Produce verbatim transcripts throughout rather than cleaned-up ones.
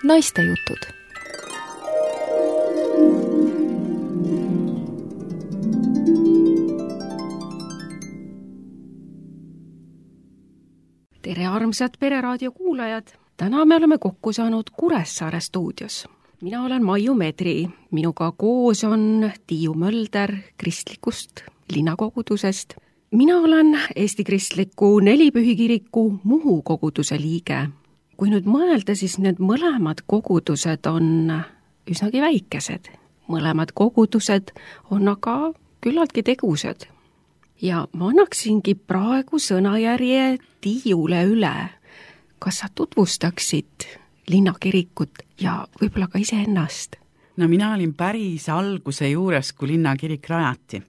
Naistejutud. Tere armsad Pereraadio kuulajad! Täna me oleme kokku saanud Kuressaare stuudios. Mina olen Maiu Medri, minuga koos on Tiiu Mölder kristlikust linnakogudusest. Mina olen Eesti Kristliku Nelipühikiriku Muhu koguduse liige. Kui nüüd mõelda, siis need mõlemad kogudused on üsnagi väikesed. Mõlemad kogudused on aga küllaltki tegused. Ja ma annaksingi praegu sõnajärje Tiiule üle. Kas sa tutvustaksid linnakirikut ja võib-olla ka iseennast? No mina olin päris alguse juures, kui linnakirik rajati.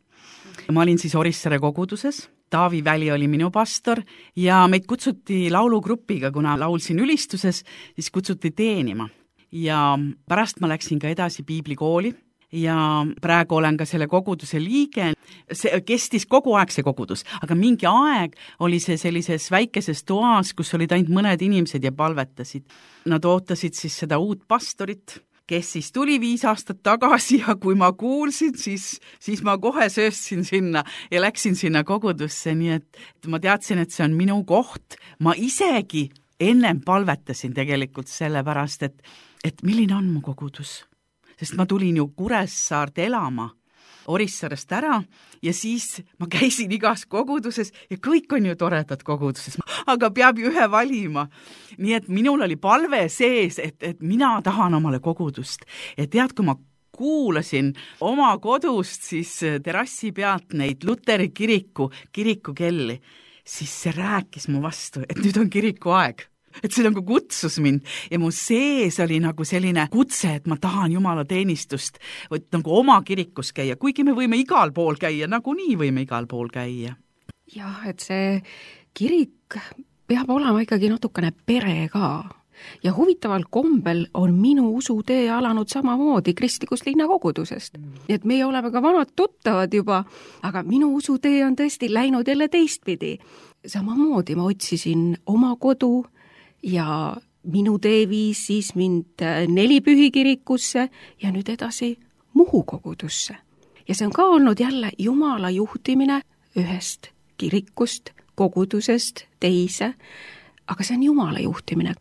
Ma olin siis Orissaare koguduses. Taavi Väli oli minu pastor ja meid kutsuti laulugrupiga, kuna laulsin ülistuses, siis kutsuti teenima. Ja pärast ma läksin ka edasi piiblikooli ja praegu olen ka selle koguduse liige. See kestis kogu aeg see kogudus, aga mingi aeg oli see sellises väikeses toas, kus olid ainult mõned inimesed ja palvetasid. Nad ootasid siis seda uut pastorit, kes siis tuli viis aastat tagasi ja kui ma kuulsin, siis, siis ma kohe sööstsin sinna ja läksin sinna kogudusse, nii et ma teadsin, et see on minu koht. Ma isegi ennem palvetasin tegelikult sellepärast, et, et milline on mu kogudus. Sest ma tulin ju Kuressaart elama Orissaarest ära ja siis ma käisin igas koguduses ja kõik on ju toredad koguduses, aga peab ju ühe valima. Nii et minul oli palve sees, et, et mina tahan omale kogudust. Ja tead, kui ma kuulasin oma kodust siis terrassi pealt neid Luteri kiriku, kirikukelli, siis see rääkis mu vastu, et nüüd on kiriku aeg. Et see nagu kutsus mind ja mu sees oli nagu selline kutse, et ma tahan Jumala teenistust või nagu oma kirikus käia, kuigi me võime igal pool käia, nagu nii võime igal pool käia. Jah, et see kirik peab olema ikkagi natukene pere ka. Ja huvitaval kombel on minu usutee alanud samamoodi kristlikust linnakogudusest. Nii et meie oleme ka vanad tuttavad juba, aga minu usutee on tõesti läinud jälle teistpidi. Samamoodi ma otsisin oma kodu ja minu tee viis siis mind Nelipühikirikusse ja nüüd edasi Muhu kogudusse. Ja see on ka olnud jälle Jumala juhtimine ühest kirikust, kogudusest teise, aga see on Jumala juhtimine.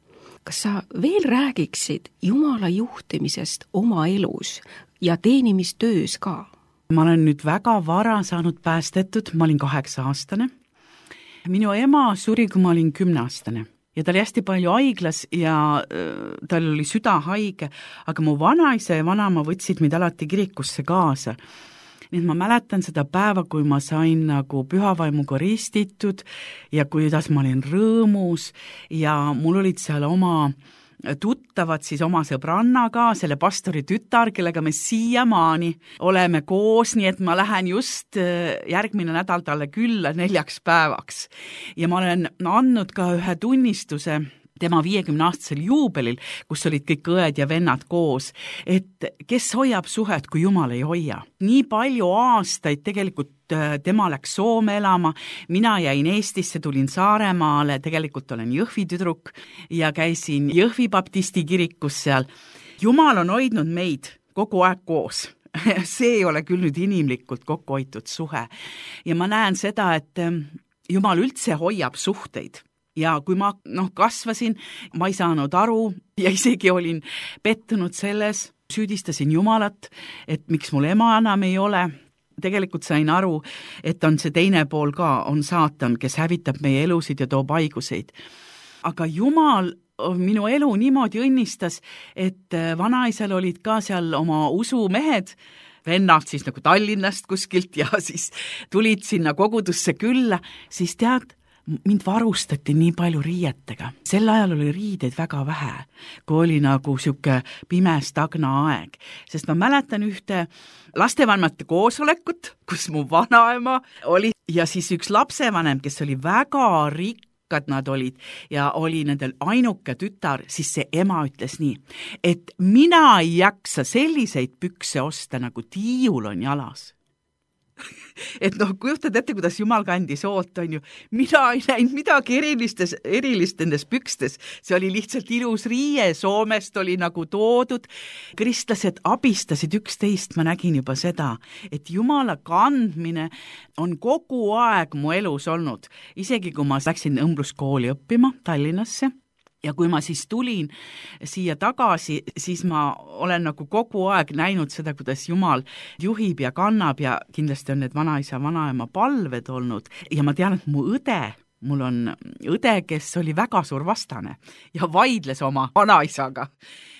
Kas sa veel räägiksid Jumala juhtimisest oma elus ja teenimistöös ka? Ma olen nüüd väga vara saanud päästetud, ma olin kaheksa aastane. Minu ema suri, kui ma olin kümneaastane. Ja ta oli hästi palju haiglas ja äh, tal oli süda haige, aga mu vanaisa ja vanama võtsid mind alati kirikusse kaasa. Nii et ma mäletan seda päeva, kui ma sain nagu pühavaimuga ristitud ja kuidas ma olin rõõmus ja mul olid seal oma tuttavad siis oma sõbrannaga, selle pastori tütar, kellega me siiamaani oleme koos, nii et ma lähen just järgmine nädal talle külla neljaks päevaks. Ja ma olen andnud ka ühe tunnistuse tema viiekümne-aastasel juubelil, kus olid kõik õed ja vennad koos, et kes hoiab suhet, kui Jumal ei hoia. Nii palju aastaid tegelikult tema läks Soome elama, mina jäin Eestisse, tulin Saaremaale, tegelikult olen Jõhvi tüdruk ja käisin Jõhvi baptisti kirikus seal. Jumal on hoidnud meid kogu aeg koos. See ei ole küll nüüd inimlikult kokku hoitud suhe. Ja ma näen seda, et Jumal üldse hoiab suhteid. Ja kui ma noh, kasvasin, ma ei saanud aru ja isegi olin pettunud selles, süüdistasin Jumalat, et miks mul ema enam ei ole. Tegelikult sain aru, et on see teine pool ka, on saatan, kes hävitab meie elusid ja toob haiguseid. Aga Jumal minu elu niimoodi õnnistas, et vanaisal olid ka seal oma usumehed, vennad siis nagu Tallinnast kuskilt ja siis tulid sinna kogudusse külla, siis tead, mind varustati nii palju riietega. Sel ajal oli riideid väga vähe, kui oli nagu siuke pime stagna aeg. Sest ma mäletan ühte lastevanemate koosolekut, kus mu vanaema oli ja siis üks lapsevanem, kes oli väga rikkad nad olid ja oli nendel ainuke tütar, siis see ema ütles nii, et mina ei jaksa selliseid pükse osta, nagu Tiiul on jalas. et noh, kujutad ette, kuidas Jumal kandis oot, on ju. Mina ei näinud midagi erilistes, erilist nendes pükstes. See oli lihtsalt ilus riie, Soomest oli nagu toodud. Kristlased abistasid üksteist, ma nägin juba seda, et Jumala kandmine on kogu aeg mu elus olnud. Isegi kui ma läksin õmbluskooli õppima Tallinnasse, ja kui ma siis tulin siia tagasi, siis ma olen nagu kogu aeg näinud seda, kuidas Jumal juhib ja kannab ja kindlasti on need vanaisa, vanaema palved olnud. Ja ma tean, et mu õde, mul on õde, kes oli väga suur vastane ja vaidles oma vanaisaga.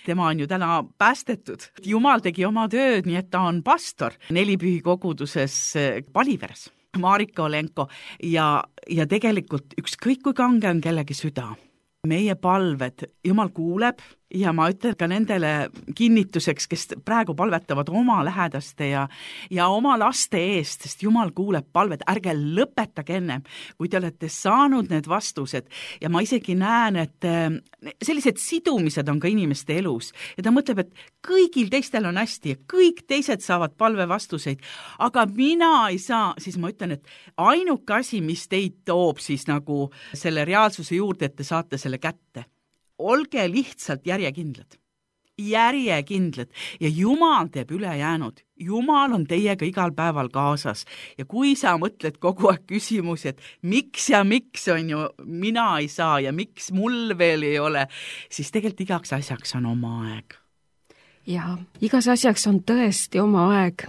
Tema on ju täna päästetud. Jumal tegi oma tööd, nii et ta on pastor Nelipühi koguduses Paliveres, Marika Olenko ja, ja tegelikult ükskõik kui kange on kellegi süda. Meie palved, Jumal kuuleb ja ma ütlen ka nendele kinnituseks, kes praegu palvetavad oma lähedaste ja, ja oma laste eest, sest Jumal kuuleb palved, ärge lõpetage ennem, kui te olete saanud need vastused. Ja ma isegi näen, et sellised sidumised on ka inimeste elus ja ta mõtleb, et kõigil teistel on hästi ja kõik teised saavad palve vastuseid, aga mina ei saa, siis ma ütlen, et ainuke asi, mis teid toob siis nagu selle reaalsuse juurde, et te saate selle kätte. Olge lihtsalt järjekindlad, järjekindlad ja Jumal teeb ülejäänud. Jumal on teiega igal päeval kaasas ja kui sa mõtled kogu aeg küsimusi, et miks ja miks on ju mina ei saa ja miks mul veel ei ole, siis tegelikult igaks asjaks on oma aeg. Ja igas asjaks on tõesti oma aeg.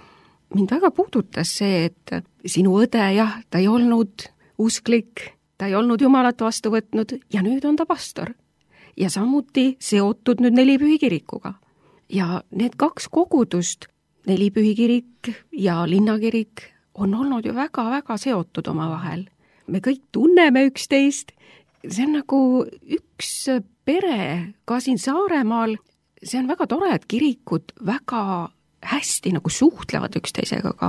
Mind väga puudutas see, et sinu õde, jah, ta ei olnud usklik, ta ei olnud Jumalat vastu võtnud ja nüüd on ta pastor. Ja samuti seotud nüüd Nelipühi kirikuga. Ja need kaks kogudust, Nelipühi kirik ja linnakirik, on olnud ju väga-väga seotud oma vahel. Me kõik tunneme üksteist. See on nagu üks pere ka siin Saaremaal. See on väga tore, et kirikud väga hästi nagu suhtlevad üksteisega ka.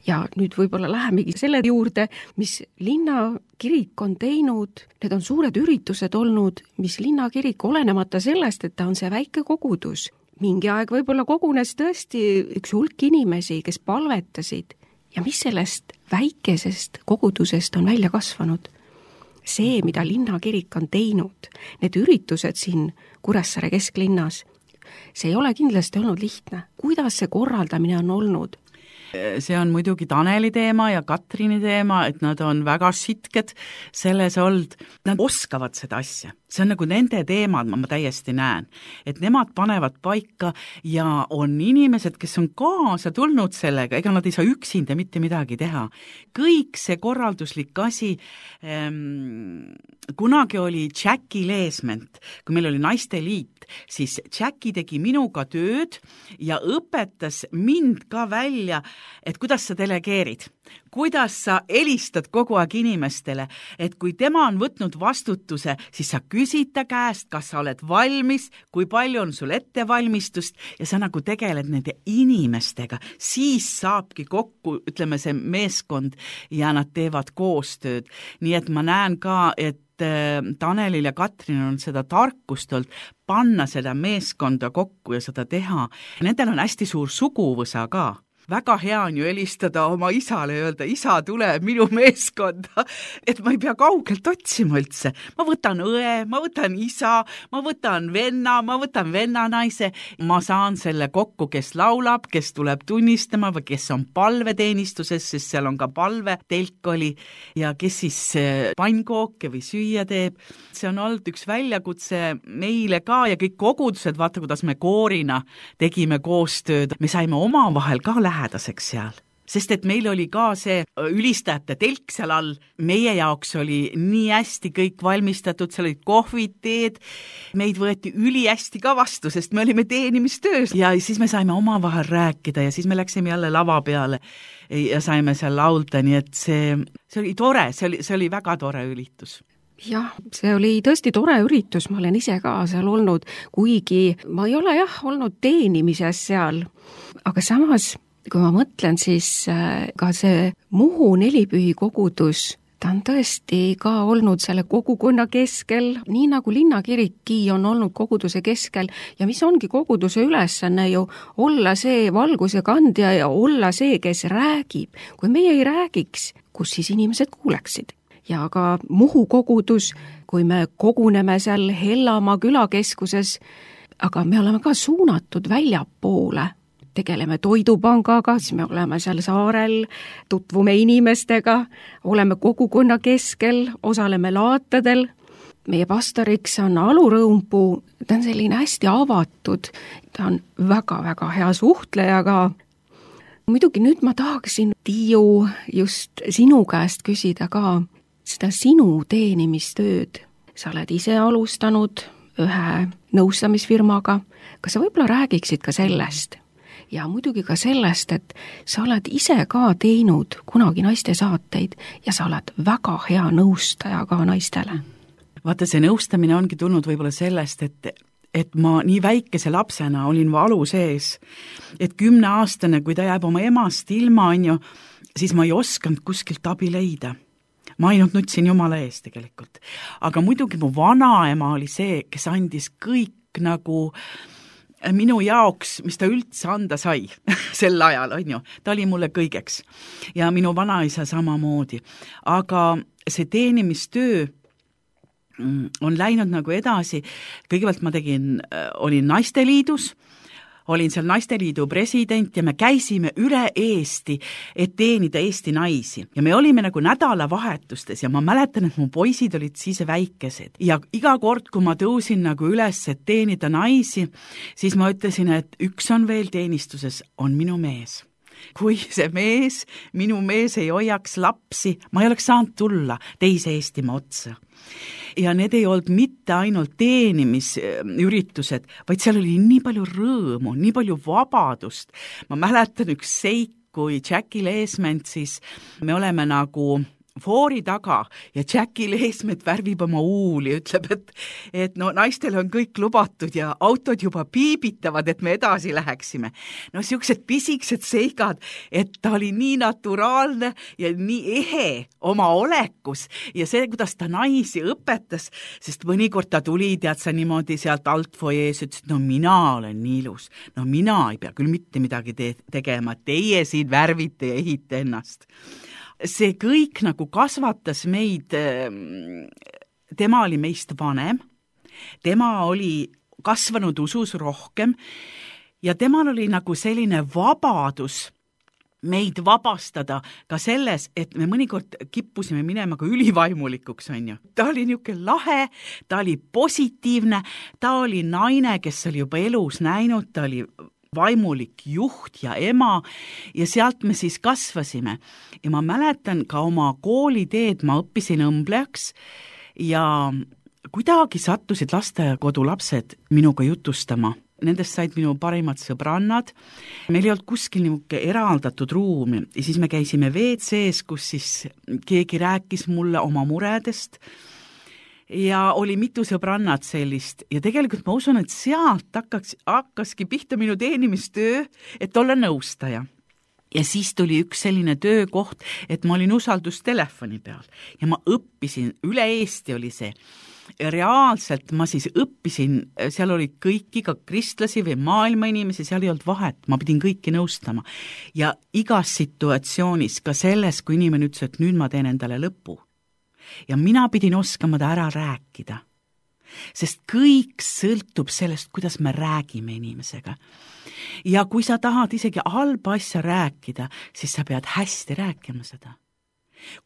Ja nüüd võib-olla lähemegi selle juurde, mis linnakirik on teinud. Need on suured üritused olnud, mis linnakirik olenemata sellest, et ta on see väike kogudus. Mingi aeg võib-olla kogunes tõesti üks hulk inimesi, kes palvetasid. Ja mis sellest väikesest kogudusest on välja kasvanud? See, mida linnakirik on teinud, need üritused siin Kuressaare kesklinnas, see ei ole kindlasti olnud lihtne. Kuidas see korraldamine on olnud? See on muidugi Taneli teema ja Katrini teema, et nad on väga sitked selles olnud. Nad oskavad seda asja. See on nagu nende teemad, ma, ma täiesti näen. Et nemad panevad paika ja on inimesed, kes on kaasa tulnud sellega, ega nad ei saa üksinda mitte midagi teha. Kõik see korralduslik asi, ähm, kunagi oli Jackie Leesment, kui meil oli naisteliit, siis Jackie tegi minuga tööd ja õpetas mind ka välja, et kuidas sa delegeerid, kuidas sa helistad kogu aeg inimestele, et kui tema on võtnud vastutuse, siis sa küsid ta käest, kas sa oled valmis, kui palju on sul ettevalmistust ja sa nagu tegeled nende inimestega, siis saabki kokku, ütleme see meeskond ja nad teevad koostööd. Nii et ma näen ka, et Tanelil ja Katrin on seda tarkust olnud panna seda meeskonda kokku ja seda teha. Nendel on hästi suur suguvõsa ka. Väga hea on ju helistada oma isale ja öelda, isa tuleb minu meeskonda, et ma ei pea kaugelt otsima üldse. Ma võtan õe, ma võtan isa, ma võtan venna, ma võtan vennanaise. Ma saan selle kokku, kes laulab, kes tuleb tunnistama või kes on palveteenistuses, sest seal on ka palve, telk oli, ja kes siis pannkooke või süüa teeb. See on olnud üks väljakutse meile ka ja kõik kogudused, vaata, kuidas me koorina tegime koostööd. Me saime oma vahel ka lähedaseks seal, sest et meil oli ka see ülistajate telk seal all, meie jaoks oli nii hästi kõik valmistatud, seal olid kohvid, teed, meid võeti üli hästi ka vastu, sest me olime teenimistöös ja siis me saime oma vahel rääkida ja siis me läksime jälle lava peale ja saime seal laulda, nii et see, see oli tore, see oli, see oli väga tore ülitus. Jah, see oli tõesti tore üritus, ma olen ise ka seal olnud, kuigi ma ei ole jah olnud teenimises seal, aga samas kui ma mõtlen, siis ka see Muhu Nelipühi kogudus, ta on tõesti ka olnud selle kogukonna keskel, nii nagu linnakirikki on olnud koguduse keskel ja mis ongi koguduse ülesanne ju olla see valguse kandja ja olla see, kes räägib. Kui meie ei räägiks, kus siis inimesed kuuleksid? Ja ka Muhu kogudus, kui me koguneme seal Hellamaa külakeskuses, aga me oleme ka suunatud väljapoole. Tegeleme toidupangaga, siis me oleme seal saarel, tutvume inimestega, oleme kogukonna keskel, osaleme laatadel. Meie pastoriks on Alu Rõumpuu, ta on selline hästi avatud, ta on väga-väga hea suhtleja ka. Muidugi nüüd ma tahaksin, Tiiu, just sinu käest küsida ka seda sinu teenimistööd. Sa oled ise alustanud ühe nõustamisfirmaga, kas sa võib-olla räägiksid ka sellest? Ja muidugi ka sellest, et sa oled ise ka teinud kunagi naiste saateid ja sa oled väga hea nõustaja ka naistele. Vaata, see nõustamine ongi tulnud võib-olla sellest, et, et ma nii väikese lapsena olin valu sees, et kümneaastane, kui ta jääb oma emast ilma, on ju, siis ma ei osanud kuskilt abi leida. Ma ainult nutsin Jumala ees tegelikult. Aga muidugi mu vanaema oli see, kes andis kõik nagu minu jaoks, mis ta üldse anda sai sel ajal, on ju. Ta oli mulle kõigeks. Ja minu vanaisa samamoodi. Aga see teenimistöö on läinud nagu edasi. Kõigepealt ma tegin, olin Naisteliidus, olin seal Naisteliidu president ja me käisime üle Eesti, et teenida Eesti naisi. Ja me olime nagu nädalavahetustes ja ma mäletan, et mu poisid olid siis väikesed. Ja iga kord, kui ma tõusin nagu üles, et teenida naisi, siis ma ütlesin, et üks on veel teenistuses, on minu mees. Kui see mees, minu mees ei hoiaks lapsi, ma ei oleks saanud tulla teise Eestimaa otsa. Ja need ei olnud mitte ainult teenimisüritused, vaid seal oli nii palju rõõmu, nii palju vabadust. Ma mäletan üks seik, kui Jackie Leesment siis, me oleme nagu foori taga ja Jackie Leesmet värvib oma uuli, ütleb, et, et no naistel on kõik lubatud ja autod juba piibitavad, et me edasi läheksime. No siuksed pisiksed seigad, et ta oli nii naturaalne ja nii ehe oma olekus ja see, kuidas ta naisi õpetas, sest mõnikord ta tuli, tead sa niimoodi sealt altfojees, ütles, et no mina olen nii ilus, no mina ei pea küll mitte midagi te- tegema, teie siin värvite ja ehite ennast. See kõik nagu kasvatas meid, tema oli meist vanem, tema oli kasvanud usus rohkem ja temal oli nagu selline vabadus meid vabastada ka selles, et me mõnikord kippusime minema ka ülivaimulikuks, on ju. Ta oli niisugune lahe, ta oli positiivne, ta oli naine, kes oli juba elus näinud, ta oli vaimulik juht ja ema ja sealt me siis kasvasime. Ja ma mäletan ka oma kooliteed, ma õppisin õmblejaks ja kuidagi sattusid lasteaia-kodu lapsed minuga jutustama. Nendest said minu parimad sõbrannad. Meil ei olnud kuskil niisugune eraldatud ruumi ja siis me käisime V C-s, kus siis keegi rääkis mulle oma muredest. Ja oli mitu sõbrannat sellist ja tegelikult ma usun, et sealt hakkaks, hakkaski pihta minu teenimistöö, et olla nõustaja. Ja siis tuli üks selline töökoht, et ma olin usaldustelefoni peal ja ma õppisin, üle Eesti oli see. Reaalselt ma siis õppisin, seal oli kõiki ka kristlasi või maailma inimesi, seal ei olnud vahet, ma pidin kõiki nõustama. Ja igas situatsioonis, ka selles, kui inimene ütles, et nüüd ma teen endale lõpu. Ja mina pidin oskama ta ära rääkida, sest kõik sõltub sellest, kuidas me räägime inimesega. Ja kui sa tahad isegi halba asja rääkida, siis sa pead hästi rääkima seda.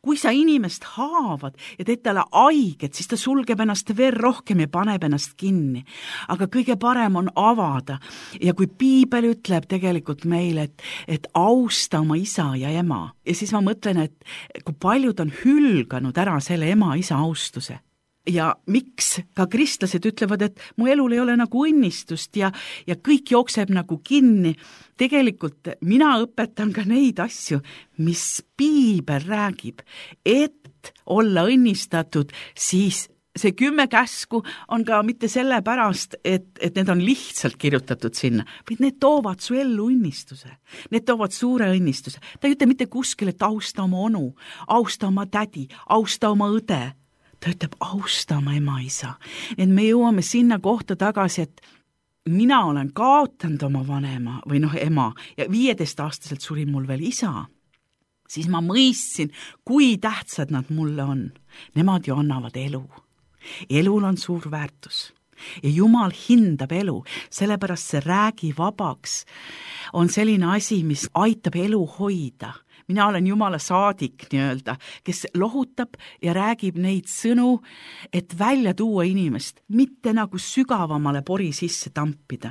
Kui sa inimest haavad ja teed talle haiget, siis ta sulgeb ennast veel rohkem ja paneb ennast kinni. Aga kõige parem on avada. Ja kui piibel ütleb tegelikult meile, et, et austa oma isa ja ema, ja siis ma mõtlen, et kui paljud on hülganud ära selle ema-isa austuse. Ja miks ka kristlased ütlevad, et mu elul ei ole nagu õnnistust ja, ja kõik jookseb nagu kinni. Tegelikult mina õpetan ka neid asju, mis piibel räägib, et olla õnnistatud, siis see kümme käsku on ka mitte sellepärast, et, et need on lihtsalt kirjutatud sinna, vaid need toovad su ellu õnnistuse. Need toovad suure õnnistuse. Ta ei ütle mitte kuskil, et austa oma onu, austa oma tädi, austa oma õde. Ta ütleb, austa oma ema-isa. Et me jõuame sinna kohta tagasi, et mina olen kaotanud oma vanema või noh, ema ja viieteist-aastaselt suri mul veel isa. Siis ma mõistsin, kui tähtsad nad mulle on. Nemad ju annavad elu. Elul on suur väärtus. Ja Jumal hindab elu, sellepärast see räägi vabaks on selline asi, mis aitab elu hoida. Mina olen Jumala saadik nii-öelda, kes lohutab ja räägib neid sõnu, et välja tuua inimest, mitte nagu sügavamale pori sisse tampida.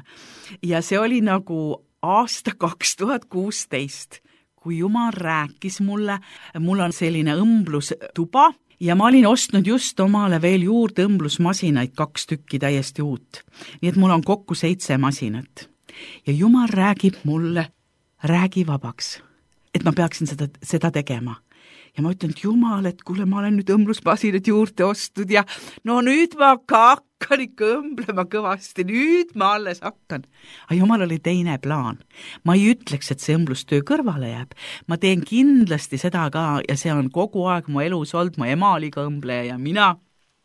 Ja see oli nagu aasta kaks tuhat kuusteist, kui Jumal rääkis mulle, mul on selline õmblustuba ja ma olin ostnud just omale veel juurde õmblusmasinaid, kaks tükki täiesti uut. Nii et mul on kokku seitse masinat. Ja Jumal räägib mulle, räägi vabaks, et ma peaksin seda, seda tegema. Ja ma ütlen, et Jumal, et kuule, ma olen nüüd õmblusmasinad juurde ostnud ja no nüüd ma hakkan ikka õmblema kõvasti, nüüd ma alles hakkan. Aga Jumal oli teine plaan. Ma ei ütleks, et see õmblustöö kõrvale jääb. Ma teen kindlasti seda ka ja see on kogu aeg mu elus olnud, mu ema oli ka õmbleja ja mina.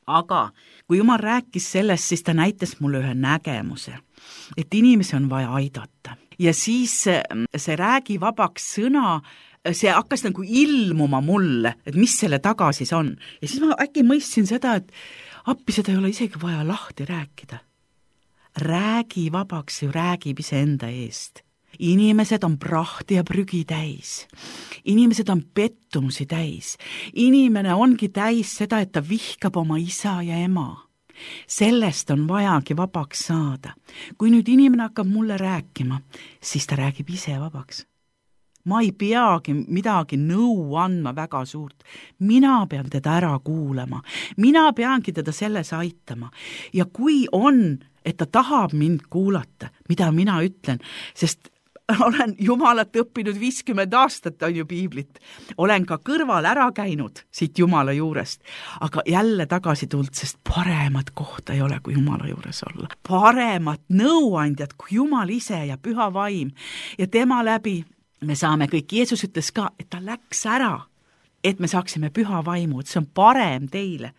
Aga kui Jumal rääkis sellest, siis ta näitas mulle ühe nägemuse, et inimesi on vaja aidata. Ja siis see räägi vabaks sõna, see hakkas nagu ilmuma mulle, et mis selle taga siis on. Ja siis ma äkki mõistsin seda, et appi seda ei ole isegi vaja lahti rääkida. Räägi vabaks ju räägib iseenda eest. Inimesed on prahti ja prügi täis. Inimesed on pettumusi täis. Inimene ongi täis seda, et ta vihkab oma isa ja ema. Sellest on vajagi vabaks saada. Kui nüüd inimene hakkab mulle rääkima, siis ta räägib ise vabaks. Ma ei peagi midagi nõu andma väga suurt. Mina pean teda ära kuulama. Mina peangi teda selles aitama. Ja kui on, et ta tahab mind kuulata, mida mina ütlen, sest olen Jumalat õppinud viiskümmend aastat, on ju piiblit. Olen ka kõrval ära käinud siit Jumala juurest, aga jälle tagasi tulnud, sest paremat kohta ei ole, kui Jumala juures olla. Paremat nõuandjat, kui Jumal ise ja püha vaim ja tema läbi me saame kõik. Jeesus ütles ka, et ta läks ära, et me saaksime püha vaimu, et see on parem teile,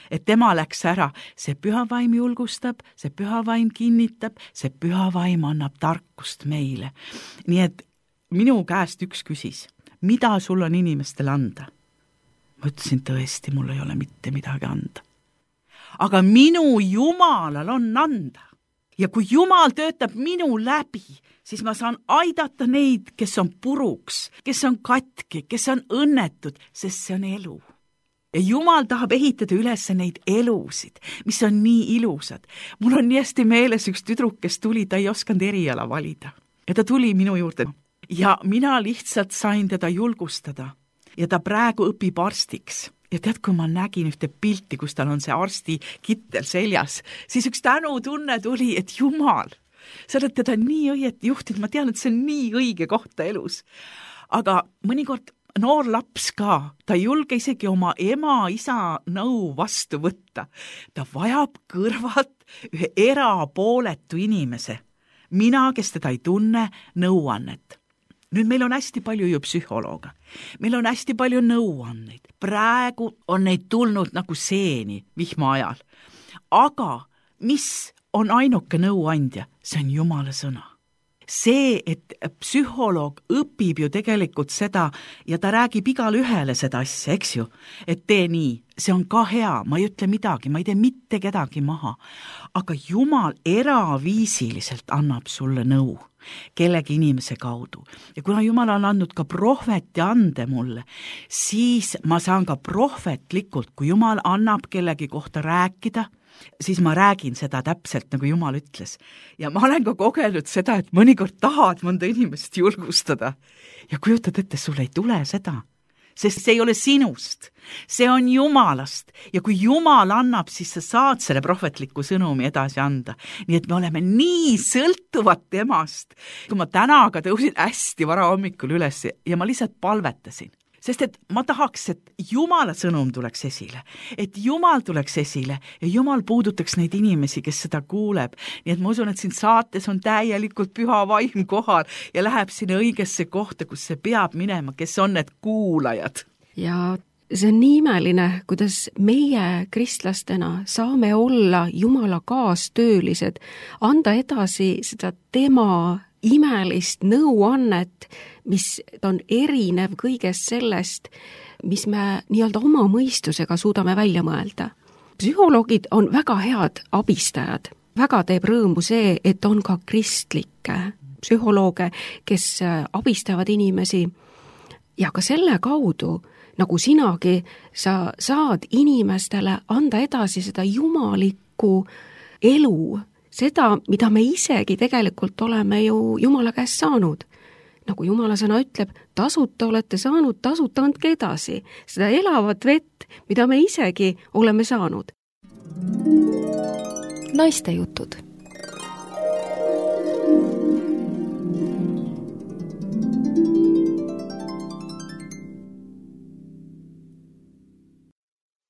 et tema läks ära. See püha vaim julgustab, see püha vaim kinnitab, see püha vaim annab tarkust meile. Nii et minu käest üks küsis, mida sul on inimestele anda? Ma ütlesin tõesti, mul ei ole mitte midagi anda. Aga minu Jumalal on anda. Ja kui Jumal töötab minu läbi, siis ma saan aidata neid, kes on puruks, kes on katki, kes on õnnetud, sest see on elu. Ja Jumal tahab ehitada üles neid elusid, mis on nii ilusad. Mul on nii hästi meeles üks tüdruk, kes tuli, ta ei osanud eriala valida. Ja ta tuli minu juurde. Ja mina lihtsalt sain teda julgustada. Ja ta praegu õpib arstiks. Ja tead, kui ma nägin ühte pilti, kus tal on see arsti kittel seljas, siis üks tänutunne tuli, et Jumal, sa oled teda nii õieti juhtinud, ma tean, et see on nii õige kohta elus. Aga mõnikord noor laps ka, ta ei julge isegi oma ema, isa nõu vastu võtta. Ta vajab kõrvalt ühe erapooletu inimese. Mina, kes teda ei tunne, nõuannet. Nüüd meil on hästi palju ju psühholooga. Meil on hästi palju nõuanneid. Praegu on neid tulnud nagu seeni vihma ajal. Aga mis on ainuke nõuandja? See on Jumala sõna. See, et psühholoog õpib ju tegelikult seda ja ta räägib igale ühele seda asja, eks ju, et tee nii. See on ka hea, ma ei ütle midagi, ma ei tee mitte kedagi maha. Aga Jumal eraviisiliselt annab sulle nõu kellegi inimese kaudu. Ja kuna Jumal on andnud ka prohveti ande mulle, siis ma saan ka prohvetlikult, kui Jumal annab kellegi kohta rääkida, siis ma räägin seda täpselt, nagu Jumal ütles. Ja ma olen ka kogenud seda, et mõnikord tahad mõnda inimest julgustada. Ja kujutad ette, sul ei tule seda. Sest see ei ole sinust, see on Jumalast. Ja kui Jumal annab, siis sa saad selle prohvetliku sõnumi edasi anda. Nii et me oleme nii sõltuvad temast. Kui ma täna aga tõusin hästi vara hommikul üles ja ma lihtsalt palvetasin. sest et ma tahaks, et Jumala sõnum tuleks esile, et Jumal tuleks esile ja Jumal puudutaks neid inimesi, kes seda kuuleb. Nii et ma usun, et siin saates on täielikult püha vaim kohal ja läheb sinna õigesse kohta, kus see peab minema, kes on need kuulajad. Ja see on nii imeline, kuidas meie kristlastena saame olla Jumala kaastöölised, anda edasi seda tema imelist nõuannet, mis on erinev kõigest sellest, mis me nii-öelda oma mõistusega suudame välja mõelda. Psühholoogid on väga head abistajad. Väga teeb rõõmu see, et on ka kristlikke psühholooge, kes abistavad inimesi ja ka selle kaudu, nagu sinagi, sa saad inimestele anda edasi seda jumalikku elu, seda, mida me isegi tegelikult oleme ju Jumala käest saanud. Nagu Jumala sõna ütleb, tasuta olete saanud, tasuta andke edasi. Seda elavat vett, mida me isegi oleme saanud. Naiste jutud.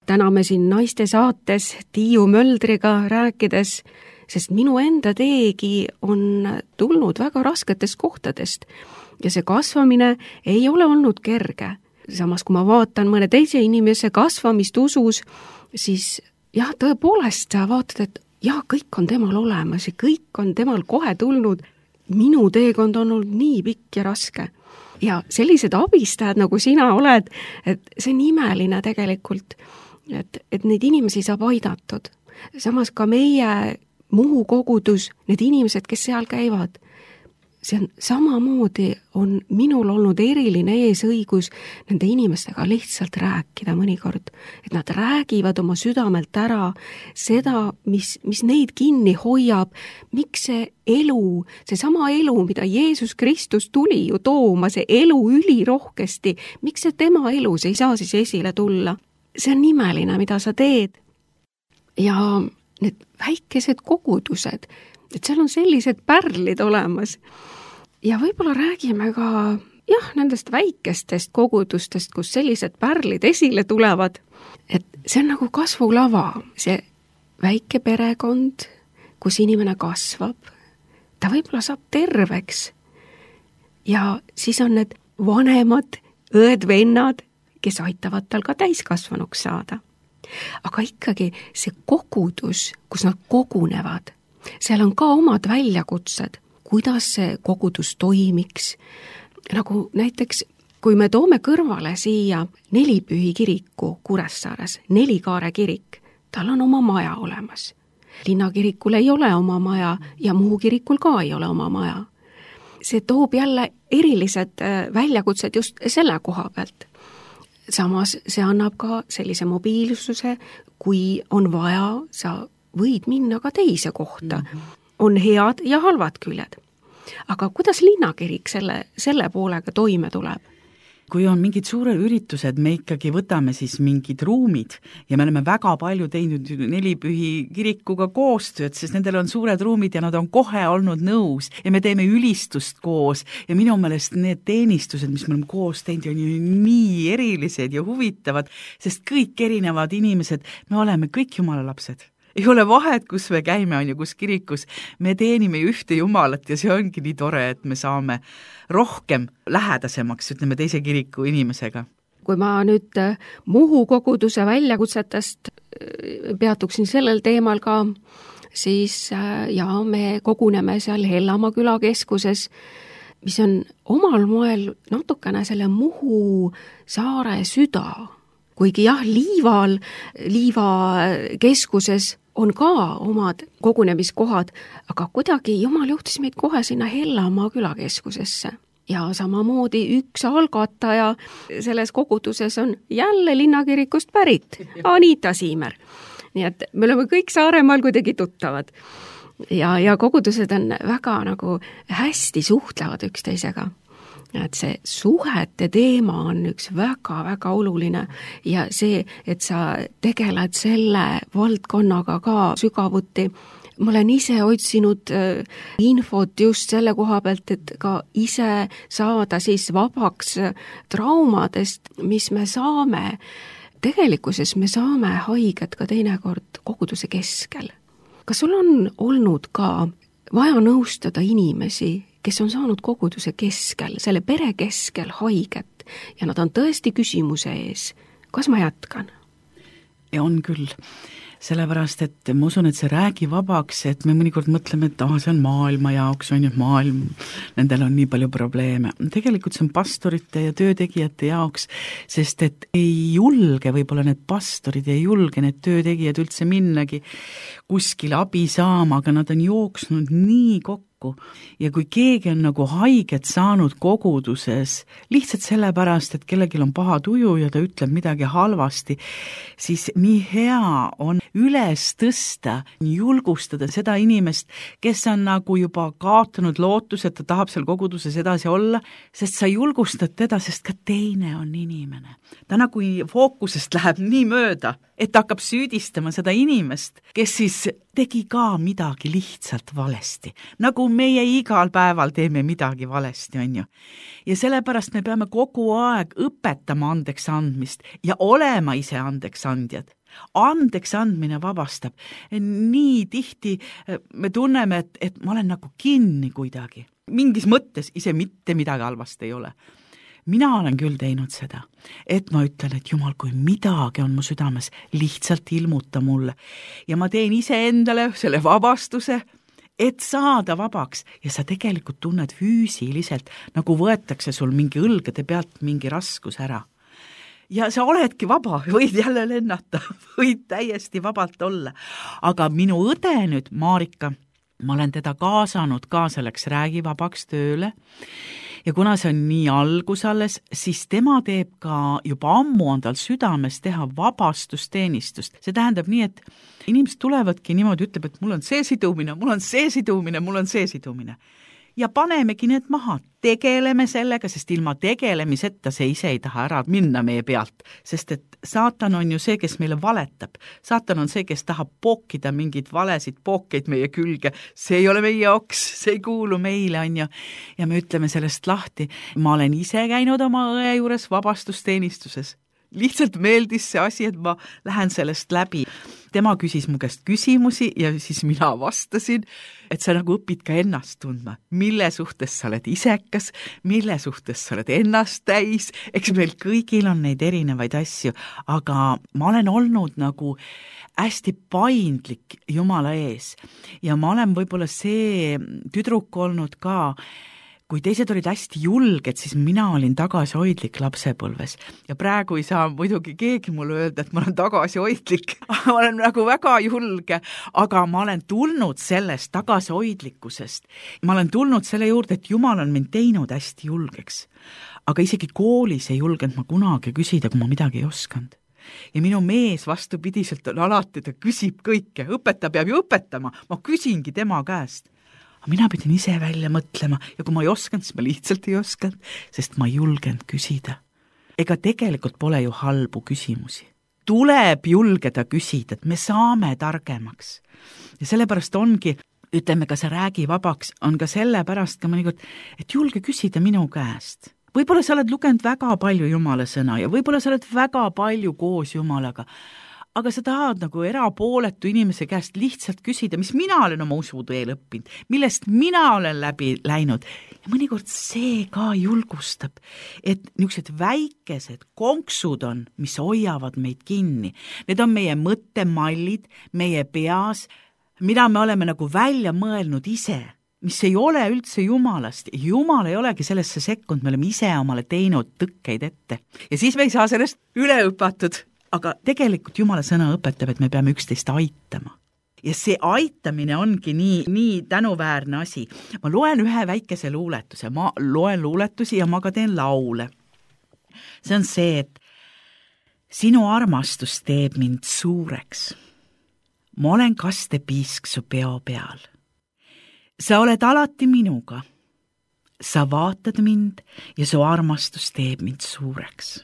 Täna me siin naiste saates Tiiu Möldriga rääkides, sest minu enda teegi on tulnud väga rasketest kohtadest ja see kasvamine ei ole olnud kerge. Samas, kui ma vaatan mõne teise inimese kasvamist usus, siis jah, tõepoolest sa vaatad, et jah, kõik on temal olemas ja kõik on temal kohe tulnud. Minu teekond on olnud nii pikk ja raske. Ja sellised abistajad, nagu sina oled, et see on imeline tegelikult, et, et neid inimesi saab aidatud. Samas ka meie Muhu kogudus, need inimesed, kes seal käivad, see on samamoodi on minul olnud eriline eesõigus nende inimestega lihtsalt rääkida mõnikord, et nad räägivad oma südamelt ära seda, mis, mis neid kinni hoiab, miks see elu, see sama elu, mida Jeesus Kristus tuli ju tooma, see elu ülirohkesti, miks see tema elus ei saa siis esile tulla? See on imeline, mida sa teed. Ja need väikesed kogudused, et seal on sellised pärlid olemas. Ja võib-olla räägime ka jah, nendest väikestest kogudustest, kus sellised pärlid esile tulevad. Et see on nagu kasvulava, see väike perekond, kus inimene kasvab, ta võib-olla saab terveks. Ja siis on need vanemad õed-vennad, kes aitavad tal ka täiskasvanuks saada. Aga ikkagi see kogudus, kus nad kogunevad, seal on ka omad väljakutsed, kuidas see kogudus toimiks. Nagu näiteks, kui me toome kõrvale siia Nelipühi kiriku Kuressaares, Nelikaare kirik, tal on oma maja olemas. Linnakirikul ei ole oma maja ja Muhu kirikul ka ei ole oma maja. See toob jälle erilised väljakutsed just selle koha pealt. Samas see annab ka sellise mobiilsuse, kui on vaja, sa võid minna ka teise kohta. Mm-hmm. On head ja halvad küljed. Aga kuidas linnakirik selle, selle poolega toime tuleb? Kui on mingid suured üritused, me ikkagi võtame siis mingid ruumid ja me oleme väga palju teinud Nelipühi kirikuga koostööd, sest nendel on suured ruumid ja nad on kohe olnud nõus ja me teeme ülistust koos ja minu meelest need teenistused, mis me oleme koos teinud, on ju nii erilised ja huvitavad, sest kõik erinevad inimesed, me oleme kõik Jumala lapsed. Ei ole vahet, kus me käime, on ju, kus kirikus. Me teenime ühte Jumalat ja see ongi nii tore, et me saame rohkem lähedasemaks, ütleme, teise kiriku inimesega. Kui ma nüüd Muhu koguduse väljakutsetest peatuksin sellel teemal ka, siis ja me koguneme seal Hellamaa külakeskuses, mis on omal moel natukene selle Muhu saare süda. Kuigi jah, Liival, Liiva keskuses on ka omad kogunemiskohad, aga kuidagi Jumal juhtis meid kohe sinna Hellamaa külakeskusesse. Ja samamoodi üks algataja selles koguduses on jälle linnakirikust pärit, Anita Siimer. Nii et me oleme kõik Saaremaal kuidagi tuttavad. Ja, ja kogudused on väga nagu hästi suhtlevad üksteisega. Et see suhete teema on üks väga-väga oluline ja see, et sa tegeled selle valdkonnaga ka sügavuti, ma olen ise otsinud äh, infot just selle koha pealt, et ka ise saada siis vabaks traumadest, mis me saame. Tegelikkuses me saame haiget ka teinekord koguduse keskel. Kas sul on olnud ka vaja nõustada inimesi, kes on saanud koguduse keskel, selle pere keskel haiget ja nad on tõesti küsimuse ees, kas ma jätkan? Ja on küll. Sellepärast, et ma usun, et see räägi vabaks, et me mõnikord mõtleme, et ah, see on maailma jaoks, on ju maailm, nendel on nii palju probleeme. Tegelikult see on pastorite ja töötegijate jaoks, sest et ei julge võib-olla need pastorid, ei julge need töötegijad üldse minnagi kuskile abi saama, aga nad on jooksnud nii kokku. Ja kui keegi on nagu haiget saanud koguduses, lihtsalt sellepärast, et kellelgi on paha tuju ja ta ütleb midagi halvasti, siis nii hea on üles tõsta, julgustada seda inimest, kes on nagu juba kaotanud lootus, et ta tahab seal koguduses edasi olla, sest sa julgustad teda, sest ka teine on inimene. Ta nagu fookusest läheb nii mööda, et ta hakkab süüdistama seda inimest, kes siis tegi ka midagi lihtsalt valesti. Nagu meie igal päeval teeme midagi valesti, on ju. Ja sellepärast me peame kogu aeg õpetama andeks andmist ja olema ise andeks andjad. Andeks andmine vabastab. Nii tihti me tunneme, et, et ma olen nagu kinni kuidagi. Mingis mõttes ise mitte midagi halvast ei ole. Mina olen küll teinud seda, et ma ütlen, et Jumal, kui midagi on mu südames, lihtsalt ilmuta mulle. Ja ma teen ise endale selle vabastuse, et saada vabaks. Ja sa tegelikult tunned füüsiliselt, nagu võetakse sul mingi õlgade pealt mingi raskus ära. Ja sa oledki vaba, võid jälle lennata, võid täiesti vabalt olla. Aga minu õde nüüd, Marika, ma olen teda kaasanud ka selleks räägi vabaks tööle. Ja kuna see on nii algus alles, siis tema teeb ka juba ammu on tal südames teha vabastusteenistust. See tähendab nii, et inimesed tulevadki niimoodi, ütleb, et mul on see sidumine, mul on see sidumine, mul on see sidumine. Ja panemegi need maha, tegeleme sellega, sest ilma tegelemiseta see ise ei taha ära minna meie pealt, sest et saatan on ju see, kes meile valetab. Saatan on see, kes tahab pookida mingid valesid pookeid meie külge. See ei ole meie oks, see ei kuulu meile, on ju. Ja me ütleme sellest lahti. Ma olen ise käinud oma õe juures vabastusteenistuses. Lihtsalt meeldis see asi, et ma lähen sellest läbi. Tema küsis mu käest küsimusi ja siis mina vastasin, et sa nagu õpid ka ennast tundma. Mille suhtes sa oled isekas, mille suhtes sa oled ennast täis. Eks meil kõigil on neid erinevaid asju, aga ma olen olnud nagu hästi paindlik Jumala ees. Ja ma olen võib-olla see tüdruk olnud ka, kui teised olid hästi julged, siis mina olin tagasihoidlik lapsepõlves. Ja praegu ei saa muidugi keegi mulle öelda, et ma olen tagasihoidlik. ma olen nagu väga julge, aga ma olen tulnud sellest tagasihoidlikkusest. Ma olen tulnud selle juurde, et Jumal on mind teinud hästi julgeks. Aga isegi koolis ei julgenud ma kunagi küsida, kui ma midagi ei oskanud. Ja minu mees vastupidiselt on alati, ta küsib kõike. Õpetaja peab ju õpetama. Ma küsingi tema käest. Mina pidin ise välja mõtlema ja kui ma ei oskanud, siis ma lihtsalt ei oskanud, sest ma ei julgenud küsida. Ega tegelikult pole ju halbu küsimusi. Tuleb julgeda küsida, et me saame targemaks. Ja sellepärast ongi, ütleme ka see räägi vabaks, on ka sellepärast ka mõnikord, et julge küsida minu käest. Võib-olla sa oled lugenud väga palju Jumala sõna ja võib-olla sa oled väga palju koos Jumalaga, aga sa tahad nagu erapooletu inimese käest lihtsalt küsida, mis mina olen oma usuteel õppinud, millest mina olen läbi läinud. Ja mõnikord see ka julgustab, et niisugused väikesed konksud on, mis hoiavad meid kinni. Need on meie mõttemallid, meie peas, mida me oleme nagu välja mõelnud ise, mis ei ole üldse Jumalast. Jumal ei olegi sellesse sekkunud, me oleme ise omale teinud tõkkeid ette. Ja siis me ei saa sellest üle õpatud. Aga tegelikult Jumala sõna õpetab, et me peame üksteist aitama. Ja see aitamine ongi nii, nii tänuväärne asi. Ma loen ühe väikese luuletuse. Ma loen luuletusi ja ma ka teen laule. See on see, et sinu armastus teeb mind suureks. Ma olen kastepiisk su peo peal. Sa oled alati minuga. Sa vaatad mind ja su armastus teeb mind suureks.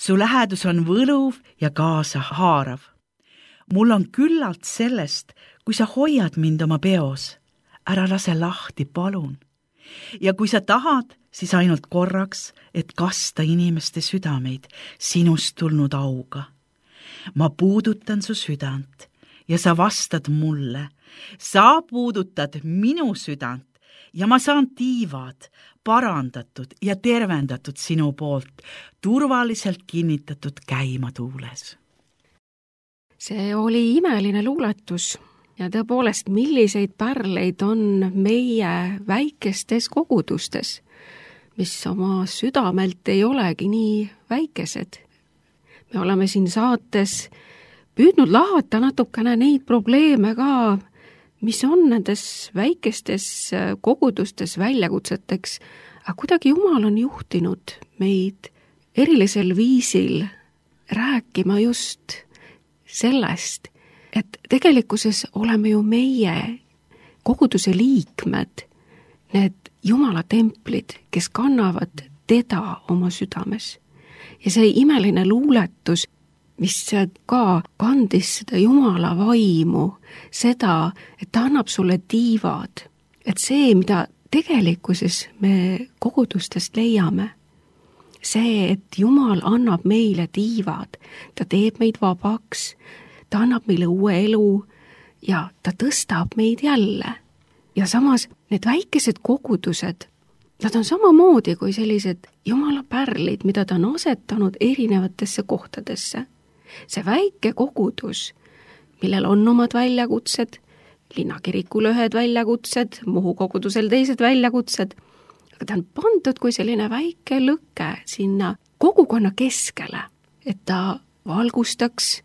Su lähedus on võluv ja kaasa haarav. Mul on küllalt sellest, kui sa hoiad mind oma peos, ära lase lahti, palun. Ja kui sa tahad, siis ainult korraks, et kasta inimeste südameid sinust tulnud auga. Ma puudutan su südant ja sa vastad mulle. Sa puudutad minu südant ja ma saan tiivad parandatud ja tervendatud sinu poolt, turvaliselt kinnitatud käima tuules. See oli imeline luuletus ja tõepoolest, milliseid pärleid on meie väikestes kogudustes, mis oma südamelt ei olegi nii väikesed. Me oleme siin saates püüdnud lahata natukene neid probleeme ka, mis on nendes väikestes kogudustes väljakutseteks, aga kuidagi Jumal on juhtinud meid erilisel viisil rääkima just sellest, et tegelikkuses oleme ju meie koguduse liikmed, need Jumala templid, kes kannavad teda oma südames. Ja see imeline luuletus, mis ka kandis seda Jumala vaimu, seda, et ta annab sulle tiivad, et see, mida tegelikkuses me kogudustest leiame, see, et Jumal annab meile tiivad, ta teeb meid vabaks, ta annab meile uue elu ja ta tõstab meid jälle. Ja samas need väikesed kogudused, nad on samamoodi kui sellised Jumala pärlid, mida ta on asetanud erinevatesse kohtadesse. See väike kogudus, millel on omad väljakutsed, linnakirikul ühed väljakutsed, Muhu kogudusel teised väljakutsed, aga ta on pandud kui selline väike lõke sinna kogukonna keskele, et ta valgustaks,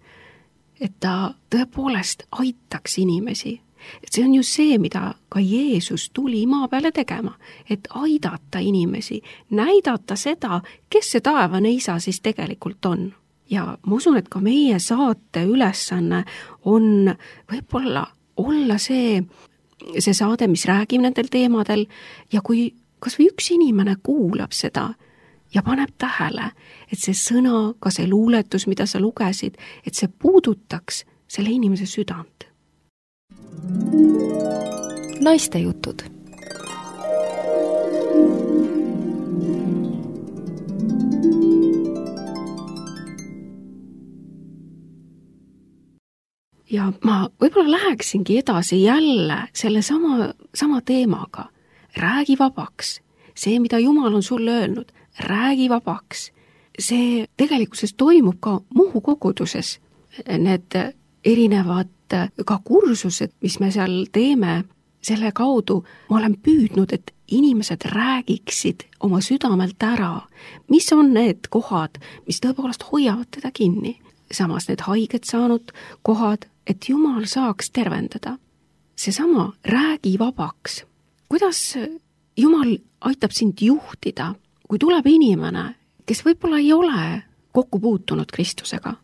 et ta tõepoolest aitaks inimesi. Et see on ju see, mida ka Jeesus tuli maa peale tegema, et aidata inimesi, näidata seda, kes see taevane isa siis tegelikult on. Ja ma usun, et ka meie saate ülesanne on võib-olla olla see, see saade, mis räägib nendel teemadel ja kui kas või üks inimene kuulab seda ja paneb tähele, et see sõna, ka see luuletus, mida sa lugesid, et see puudutaks selle inimese südant. Naiste jutud. Ja ma võib-olla läheksingi edasi jälle selle sama, sama teemaga. Räägi vabaks. See, mida Jumal on sulle öelnud, räägi vabaks. See tegelikkuses toimub ka Muhu koguduses. Need erinevad ka kursused, mis me seal teeme, selle kaudu ma olen püüdnud, et inimesed räägiksid oma südamelt ära, mis on need kohad, mis tõepoolest hoiavad teda kinni. Samas need haiget saanud kohad, et Jumal saaks tervendada. Seesama räägi vabaks. Kuidas Jumal aitab sind juhtida, kui tuleb inimene, kes võib-olla ei ole kokku puutunud Kristusega?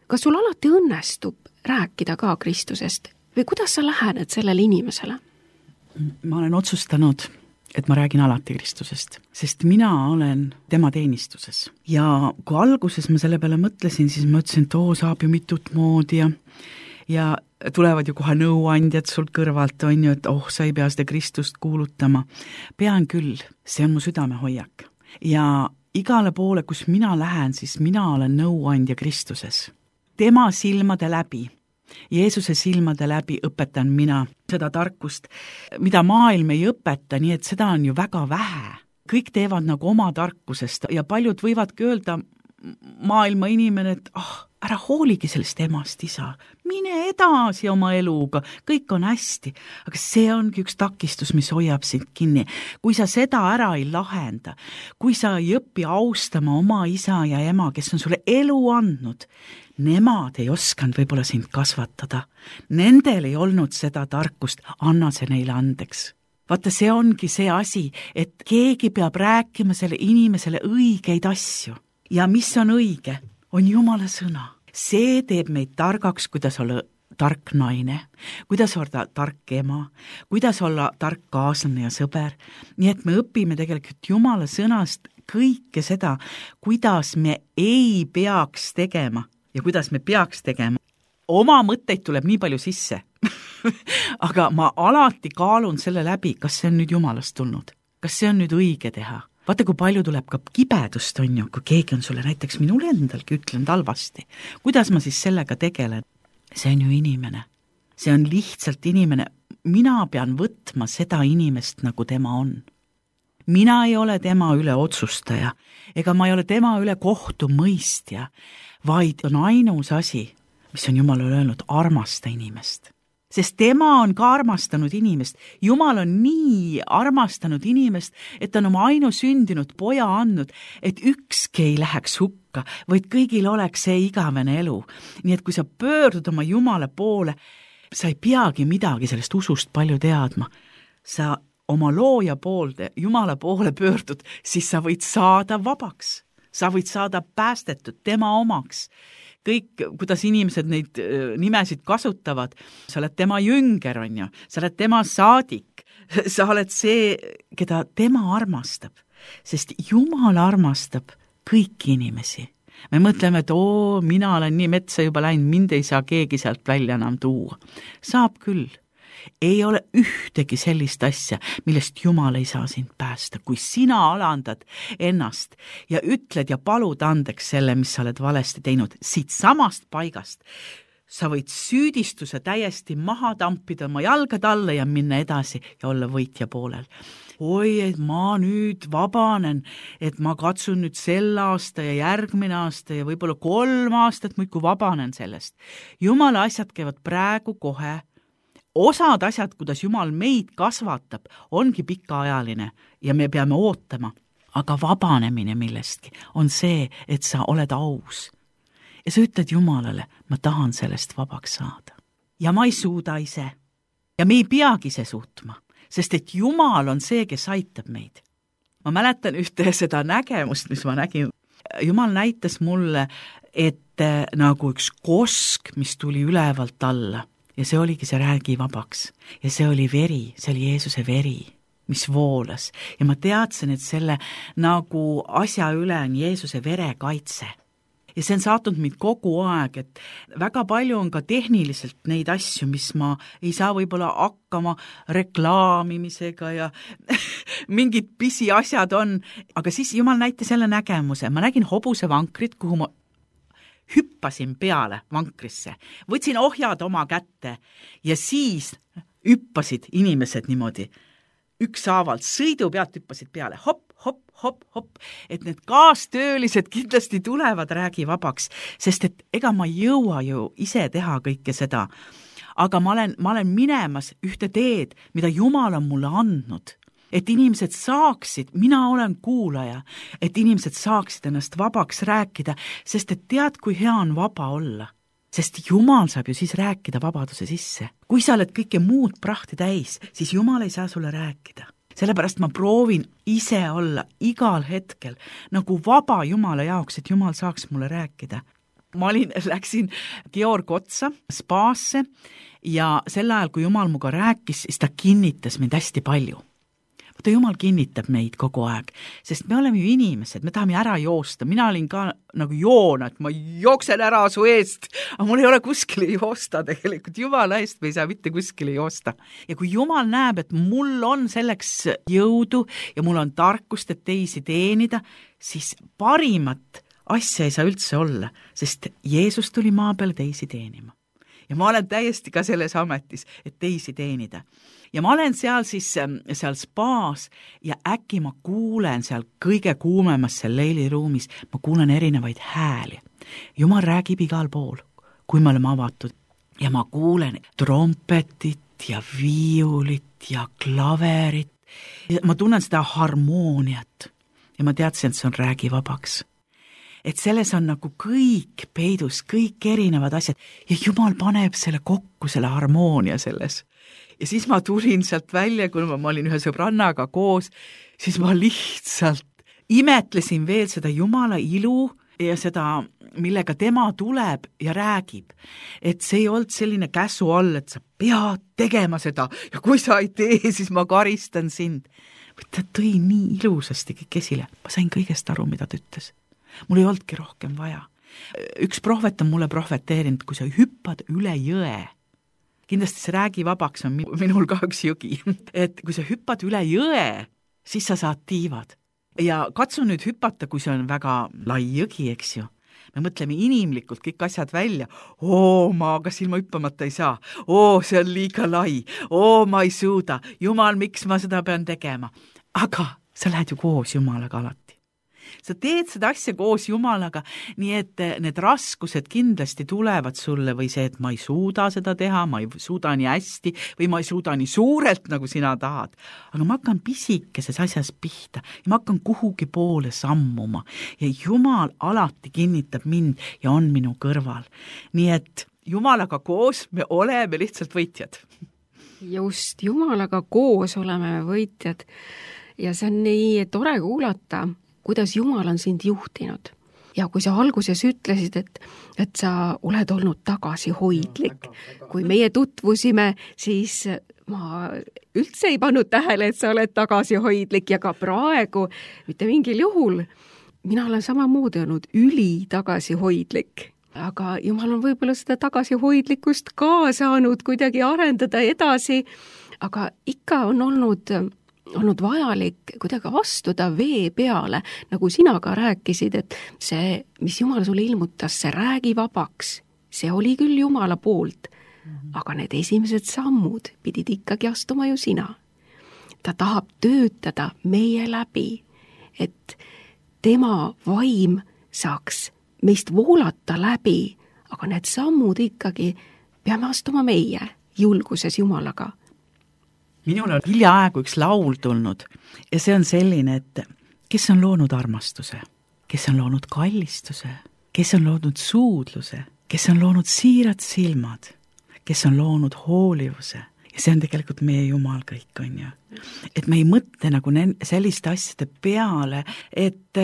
Kas sul alati õnnestub rääkida ka Kristusest või kuidas sa lähened sellele inimesele? Ma olen otsustanud, et ma räägin alati Kristusest, sest mina olen tema teenistuses. Ja kui alguses ma selle peale mõtlesin, siis ma ütlesin, et oo, saab ju mitut moodi ja, ja tulevad ju kohe nõuandjad sul kõrvalt, on ju, et oh, sa ei pea seda Kristust kuulutama. Pean küll, see on mu südamehoiak. Ja igale poole, kus mina lähen, siis mina olen nõuandja Kristuses. Tema silmade läbi, Jeesuse silmade läbi õpetan mina seda tarkust, mida maailm ei õpeta, nii et seda on ju väga vähe. Kõik teevad nagu oma tarkusest ja paljud võivadki öelda maailma inimene, et ah, ära hooligi sellest emast, isa, mine edasi oma eluga, kõik on hästi. Aga see ongi üks takistus, mis hoiab sind kinni. Kui sa seda ära ei lahenda, kui sa ei õpi austama oma isa ja ema, kes on sulle elu andnud, nemad ei oskanud võib-olla sind kasvatada. Nendel ei olnud seda tarkust, anna see neile andeks. Vaata, see ongi see asi, et keegi peab rääkima selle inimesele õigeid asju. Ja mis on õige, on Jumala sõna. See teeb meid targaks, kuidas olla tark naine, kuidas olla tark ema, kuidas olla tark kaaslane ja sõber. Nii et me õpime tegelikult Jumala sõnast kõike seda, kuidas me ei peaks tegema ja kuidas me peaks tegema. Oma mõtteid tuleb nii palju sisse. aga ma alati kaalun selle läbi, kas see on nüüd Jumalast tulnud, kas see on nüüd õige teha. Vaata, kui palju tuleb ka kibedust, on ju, kui keegi on sulle näiteks minul endalgi ütlenud halvasti. Kuidas ma siis sellega tegelen? See on ju inimene. See on lihtsalt inimene. Mina pean võtma seda inimest, nagu tema on. Mina ei ole tema üle otsustaja, ega ma ei ole tema üle kohtumõistja, vaid on ainus asi, mis on Jumal öelnud, armasta inimest. Sest tema on ka armastanud inimest. Jumal on nii armastanud inimest, et on oma ainusündinud poja andnud, et ükski ei läheks hukka, vaid kõigil oleks see igavene elu. Nii et kui sa pöördud oma Jumala poole, sa ei peagi midagi sellest usust palju teadma. Sa oma looja poolde, Jumala poole pöördud, siis sa võid saada vabaks. Sa võid saada päästetud tema omaks. Kõik, kuidas inimesed neid nimesid kasutavad, sa oled tema jünger, on ju, sa oled tema saadik, sa oled see, keda tema armastab, sest Jumal armastab kõiki inimesi. Me mõtleme, et oo, mina olen nii metsa juba läinud, mind ei saa keegi sealt välja enam tuua. Saab küll. Ei ole ühtegi sellist asja, millest Jumal ei saa sind päästa. Kui sina alandad ennast ja ütled ja palud andeks selle, mis sa oled valesti teinud, siit samast paigast, sa võid süüdistuse täiesti maha tampida oma jalgad alla ja minna edasi ja olla võitja poolel. Oi, et ma nüüd vabanen, et ma katsun nüüd sel aasta ja järgmine aasta ja võib-olla kolm aastat muidu vabanen sellest. Jumala asjad käivad praegu kohe. Osad asjad, kuidas Jumal meid kasvatab, ongi pikaajaline ja me peame ootama. Aga vabanemine millestki on see, et sa oled aus. Ja sa ütled Jumalale, ma tahan sellest vabaks saada. Ja ma ei suuda ise. Ja me ei peagi ise suutma, sest et Jumal on see, kes aitab meid. Ma mäletan ühte seda nägemust, mis ma nägin. Jumal näitas mulle, et nagu üks kosk, mis tuli ülevalt alla. Ja see oligi see räägi vabaks. Ja see oli veri, see oli Jeesuse veri, mis voolas. Ja ma teadsin, et selle nagu asja üle on Jeesuse vere kaitse. Ja see on saatnud mind kogu aeg, et väga palju on ka tehniliselt neid asju, mis ma ei saa võib-olla hakkama reklaamimisega ja mingid pisi asjad on. Aga siis Jumal näitas jälle nägemuse. Ma nägin hobuse vankrit, kuhu ma hüppasin peale vankrisse, võtsin ohjad oma kätte ja siis hüppasid inimesed niimoodi üksaavalt, sõidu pealt hüppasid peale, hopp, hopp, hopp, hopp, et need kaastöölised kindlasti tulevad räägi vabaks, sest et ega ma ei jõua ju ise teha kõike seda, aga ma olen, ma olen minemas ühte teed, mida Jumal on mulle andnud. Et inimesed saaksid, mina olen kuulaja, et inimesed saaksid ennast vabaks rääkida, sest et tead, kui hea on vaba olla. Sest Jumal saab ju siis rääkida vabaduse sisse. Kui sa oled kõike muud prahti täis, siis Jumal ei saa sulle rääkida. Sellepärast ma proovin ise olla igal hetkel nagu vaba Jumala jaoks, et Jumal saaks mulle rääkida. Ma olin, läksin Georg otsa spaasse ja sel ajal, kui Jumal muga rääkis, siis ta kinnitas mind hästi palju. Ta Jumal kinnitab meid kogu aeg, sest me oleme ju inimesed, me tahame ära joosta. Mina olin ka nagu joona, et ma jooksen ära su eest, aga mul ei ole kuskile joosta tegelikult. Jumala eest me ei saa mitte kuskile joosta. Ja kui Jumal näeb, et mul on selleks jõudu ja mul on tarkust, et teisi teenida, siis parimat asja ei saa üldse olla, sest Jeesus tuli maa peale teisi teenima. Ja ma olen täiesti ka selles ametis, et teisi teenida. Ja ma olen seal siis seal spaas ja äkki ma kuulen seal kõige kuumemas seal leiliruumis, ma kuulen erinevaid hääli. Jumal räägib igal pool, kui me oleme avatud. Ja ma kuulen trompetit ja viiulit ja klaverit. Ja ma tunnen seda harmooniat ja ma teadsin, et see on räägi vabaks. Et selles on nagu kõik peidus, kõik erinevad asjad ja Jumal paneb selle kokku, selle harmoonia selles. Ja siis ma tulin sealt välja, kui ma, ma olin ühe sõbrannaga koos, siis ma lihtsalt imetlesin veel seda Jumala ilu ja seda, millega tema tuleb ja räägib. Et see ei olnud selline käsu all, et sa pead tegema seda ja kui sa ei tee, siis ma karistan sind. Ta tõi nii ilusasti kõik esile. Ma sain kõigest aru, mida ta ütles. Mul ei olnudki rohkem vaja. Üks prohvet on mulle prohveteerinud, kui sa hüppad üle jõe, kindlasti see räägivabaks on minul ka üks jugi, et kui sa hüppad üle jõe, siis sa saad tiivad. Ja katsu nüüd hüpata, kui see on väga lai jõgi, eks ju. Me mõtleme inimlikult kõik asjad välja. Oo, ma kas ilma hüppamata ei saa. Oo, see on liiga lai. Oo, ma ei suuda. Jumal, miks ma seda pean tegema? Aga sa lähed ju koos Jumalaga alati. Sa teed seda asja koos Jumalaga, nii et need raskused kindlasti tulevad sulle või see, et ma ei suuda seda teha, ma ei suuda nii hästi või ma ei suuda nii suurelt, nagu sina tahad. Aga ma hakkan pisikeses asjas pihta ja ma hakkan kuhugi poole sammuma ja Jumal alati kinnitab mind ja on minu kõrval. Nii et Jumalaga koos me oleme lihtsalt võitjad. Just, Jumalaga koos oleme võitjad ja see on nii tore kuulata, kuidas Jumal on sind juhtinud. Ja kui sa alguses ütlesid, et, et sa oled olnud tagasihoidlik, kui meie tutvusime, siis ma üldse ei pannud tähele, et sa oled tagasihoidlik ja ka praegu mitte mingil juhul. Mina olen samamoodi olnud üli tagasihoidlik, aga Jumal on võib-olla seda tagasihoidlikkust ka saanud kuidagi arendada edasi, aga ikka on olnud olnud vajalik kuidagi astuda vee peale, nagu sina ka rääkisid, et see, mis Jumal sulle ilmutas, see räägi vabaks, see oli küll Jumala poolt, aga need esimesed sammud pidid ikkagi astuma ju sina. Ta tahab töötada meie läbi, et tema vaim saaks meist voolata läbi, aga need sammud ikkagi peame astuma meie julguses Jumalaga. Minul on hiljaaegu üks laul tulnud ja see on selline, et kes on loonud armastuse, kes on loonud kallistuse, kes on loonud suudluse, kes on loonud siirad silmad, kes on loonud hoolivuse ja see on tegelikult meie Jumal kõik, on ju. Et me ei mõtle nagu selliste asjade peale, et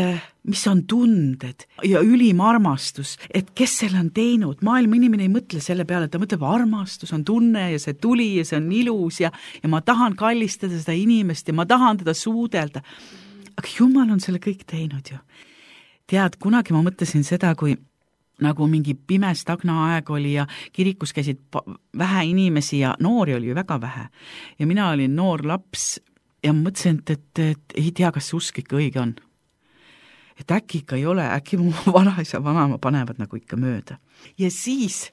mis on tunded ja ülim armastus, et kes selle on teinud. Maailma inimene ei mõtle selle peale, et ta mõtleb armastus on tunne ja see tuli ja see on ilus ja, ja ma tahan kallistada seda inimest ja ma tahan teda suudelda. Aga Jumal on selle kõik teinud ju. Tead, kunagi ma mõtlesin seda, kui nagu mingi pime stagna aeg oli ja kirikus käisid vähe inimesi ja noori oli ju väga vähe. Ja mina olin noor laps ja mõtlesin, et, et, et ei tea, kas see usk ikka õige on. Et äkki ikka ei ole, äkki mu vanaisa vanama panevad nagu ikka mööda. Ja siis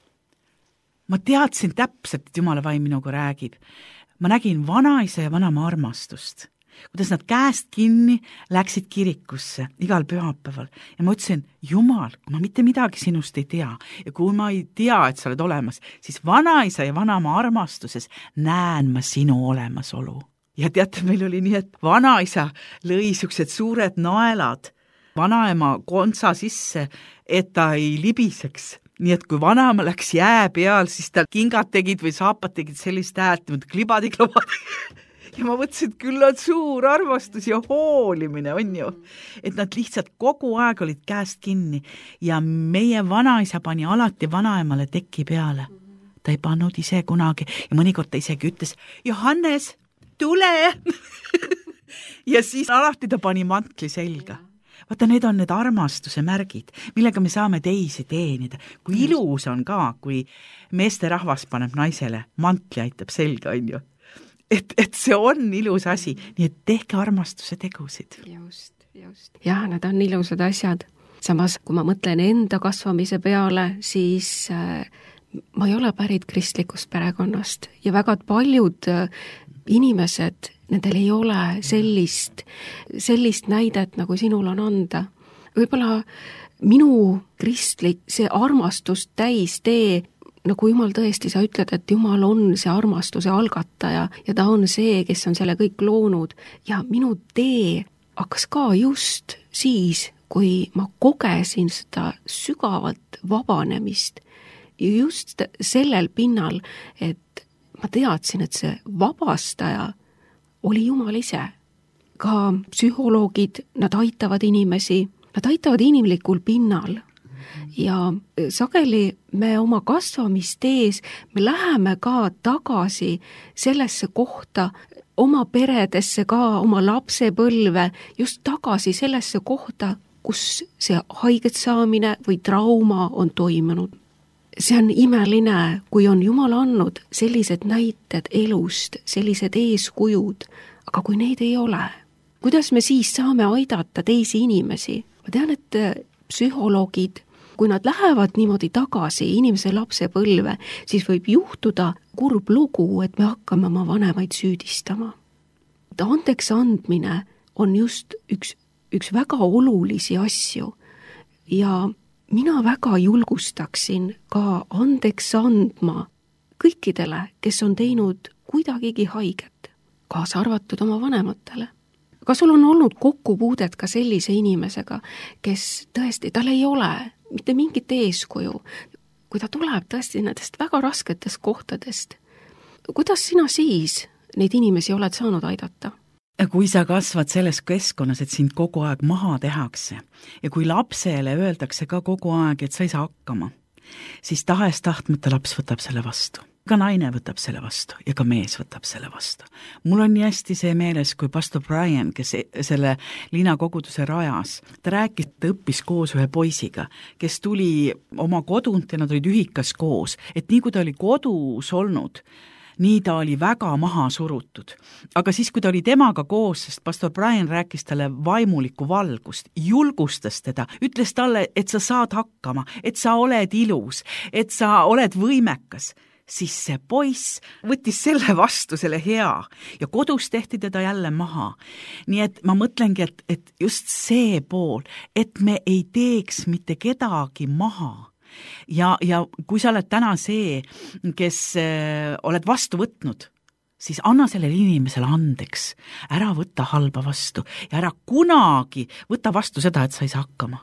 ma teadsin täpselt, et Jumala vaim minuga räägib. Ma nägin vanaisa ja vanama armastust. Kuidas nad käest kinni läksid kirikusse igal pühapäeval ja ma ütlesin, Jumal, kui ma mitte midagi sinust ei tea ja kui ma ei tea, et sa oled olemas, siis vanaisa ja vanama armastuses näen ma sinu olemasolu. Ja teate, meil oli nii, et vanaisa lõi siuksed suured naelad vanaema kontsa sisse, et ta ei libiseks. Nii et kui vanaema läks jää peal, siis tal kingad tegid või saapad tegid sellist häält, klibadi-klobadi. Ja ma mõtlesin, et küll on suur armastus ja hoolimine, on ju. Et nad lihtsalt kogu aeg olid käest kinni ja meie vanaisa pani alati vanaemale teki peale. Ta ei pannud ise kunagi ja mõnikord ta isegi ütles, Johannes, tule! Ja siis alati ta pani mantli selga. Vaata, need on need armastuse märgid, millega me saame teisi teenida. Kui ilus on ka, kui meeste rahvas paneb naisele, mantli aitab selga, on ju. Et, et see on ilus asi, nii et tehke armastuse tegusid. Just, just. Jah, need on ilusad asjad. Samas, kui ma mõtlen enda kasvamise peale, siis äh, ma ei ole pärit kristlikust perekonnast ja väga paljud äh, inimesed, nendel ei ole sellist, sellist näidet, nagu sinul on anda. Võib-olla minu kristlik, see armastus täis tee, nagu Jumal tõesti, sa ütled, et Jumal on see armastuse algataja ja ta on see, kes on selle kõik loonud. Ja minu tee hakkas ka just siis, kui ma kogesin seda sügavalt vabanemist. Ja just sellel pinnal, et ma teadsin, et see vabastaja oli Jumal ise. Ka psühholoogid, nad aitavad inimesi, nad aitavad inimlikul pinnal. Ja sageli me oma kasvamistees, me läheme ka tagasi sellesse kohta, oma peredesse ka, oma lapsepõlve, just tagasi sellesse kohta, kus see haiget saamine või trauma on toimunud. see on imeline, kui on Jumal andnud sellised näited elust, sellised eeskujud, aga kui neid ei ole, kuidas me siis saame aidata teisi inimesi? Ma tean, et psühholoogid, kui nad lähevad niimoodi tagasi inimese lapsepõlve, siis võib juhtuda kurb lugu, et me hakkame oma vanemaid süüdistama. Andeks andmine on just üks, üks väga olulisi asju ja mina väga julgustaksin ka andeks andma kõikidele, kes on teinud kuidagigi haiget, kaasa arvatud oma vanematele. Kas sul on olnud kokkupuudet ka sellise inimesega, kes tõesti, tal ei ole mitte mingit eeskuju, kui ta tuleb tõesti nendest väga rasketest kohtadest? Kuidas sina siis neid inimesi oled saanud aidata? Kui sa kasvad selles keskkonnas, et sind kogu aeg maha tehakse ja kui lapsele öeldakse ka kogu aeg, et sa ei saa hakkama, siis tahes tahtmata laps võtab selle vastu. Ka naine võtab selle vastu ja ka mees võtab selle vastu. Mul on nii hästi see meeles, kui pastor Brian, kes selle linnakoguduse rajas, ta rääkis, ta õppis koos ühe poisiga, kes tuli oma kodunt ja nad olid ühikas koos, et nii kui ta oli kodus olnud, nii ta oli väga maha surutud. Aga siis, kui ta oli temaga koos, sest pastor Brian rääkis talle vaimulikku valgust, julgustas teda, ütles talle, et sa saad hakkama, et sa oled ilus, et sa oled võimekas, siis see poiss võttis selle vastu, selle hea, ja kodus tehti teda jälle maha. Nii et ma mõtlengi, et, et just see pool, et me ei teeks mitte kedagi maha. Ja, ja kui sa oled täna see, kes äh, oled vastu võtnud, siis anna sellele inimesele andeks, ära võtta halba vastu ja ära kunagi võtta vastu seda, et sa ei saa hakkama.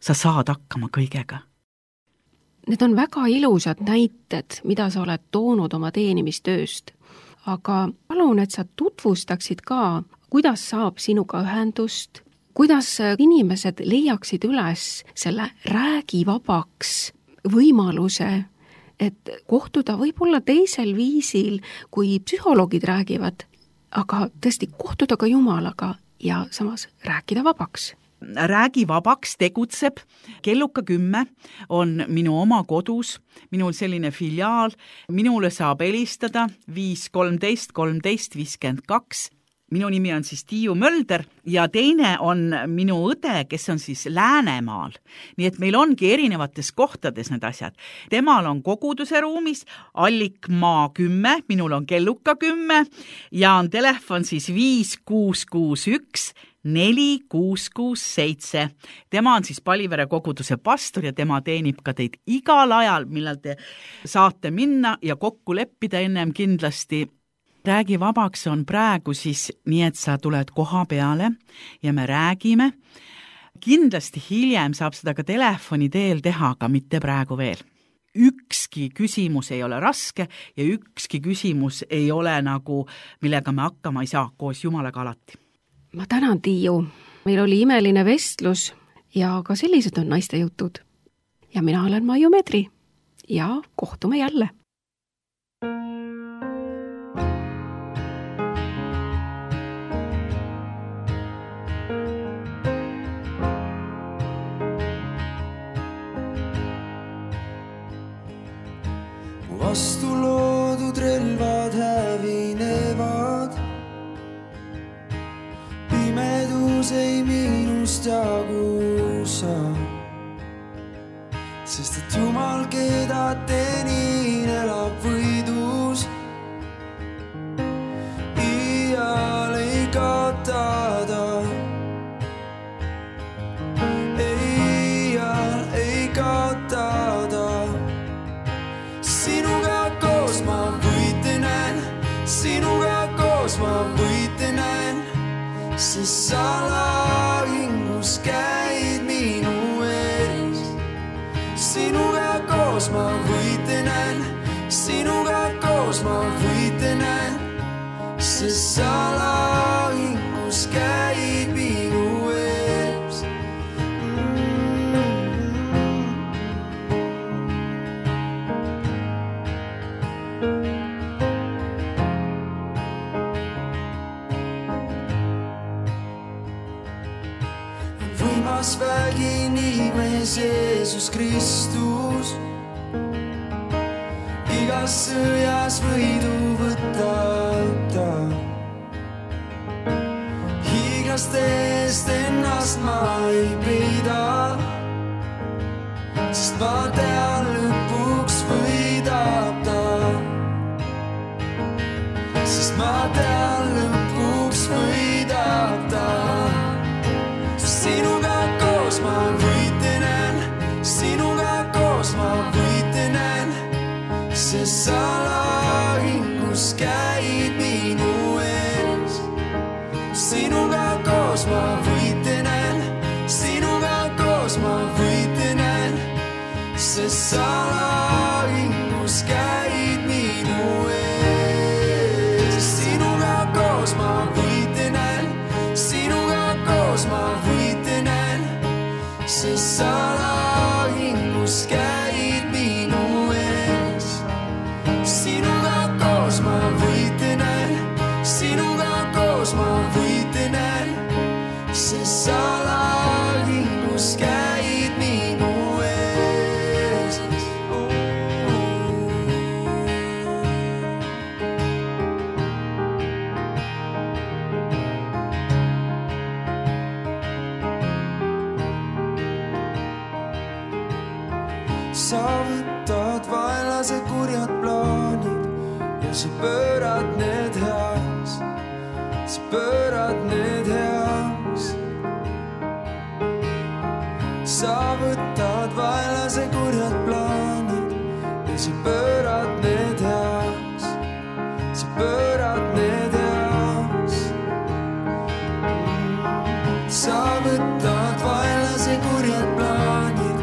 Sa saad hakkama kõigega. Need on väga ilusad näited, mida sa oled toonud oma teenimistööst, aga palun, et sa tutvustaksid ka, kuidas saab sinuga ühendust, kuidas inimesed leiaksid üles selle räägivabaks võimaluse, et kohtuda võib-olla teisel viisil, kui psühholoogid räägivad, aga tõesti kohtuda ka Jumalaga ja samas rääkida vabaks. Räägi vabaks tegutseb, kelluka kümme on minu oma kodus, minul selline filiaal, minule saab helistada viis kolmteist kolmteist viiskümmend kaks. Minu nimi on siis Tiiu Mölder ja teine on minu õde, kes on siis Läänemaal. Nii et meil ongi erinevates kohtades need asjad. Temal on koguduse ruumis Allikmaa kümme, minul on kelluka kümme ja on telefon siis viis kuus kuus üks neli kuus kuus seitse. Tema on siis Palivere koguduse pastor ja tema teenib ka teid igal ajal, millal te saate minna ja kokku leppida ennem kindlasti. Räägi vabaks on praegu siis nii, et sa tuled koha peale ja me räägime. Kindlasti hiljem saab seda ka telefoni teel teha, aga mitte praegu veel. Ükski küsimus ei ole raske ja ükski küsimus ei ole nagu, millega me hakkama ei saa koos Jumalaga alati. Ma tänan, Tiiu. Meil oli imeline vestlus ja ka sellised on naiste jutud. Ja mina olen Maiu Medri ja kohtume jälle. Vastu loodud relvad hävinevad, pimedus ei minust jagusa, sest et Jumal, keda teenin, elab võidus. Iial ei kaotada, iial ei kaotada. Sinuga koos ma võite näen, sinuga koos ma võite näen, sest sa lahingus käid minu ees. Sinuga koos ma võite näen, sinuga koos ma võite näen, sest sa lahingus käid minu ees. Võimas vägi nimes Jeesus Kristus, igas sõjas võidu võtta ta. Hiiglaste eest ennast ma ei peida, sest ma tean lõpuks võidab ta. Sest ma tean lõpuks võidab ta. Sinuga koos ma võitenen, sinuga koos ma võitenen, sest sa lahingus käid minu ees. Sinuga koos ma võitenen, sinuga koos ma võitenen, sest sa lahingus käid minu ees. Sinuga koos ma võitenen, sinuga koos ma võitenen, sest sa lahingus käid minu ees. Sinuga koos ma võitenen, sinuga koos ma võitenen, sest sa lahingus käid minu ees. Sa võtad vaenlase kurjad plaanid ja sa pöörad need heaks, sa pöörad need heaks. Sa võtad vaenlase kurjad plaanid ja sa pöörad need heaks, sa pöörad need heaks. Sa võtad vaenlase kurjad plaanid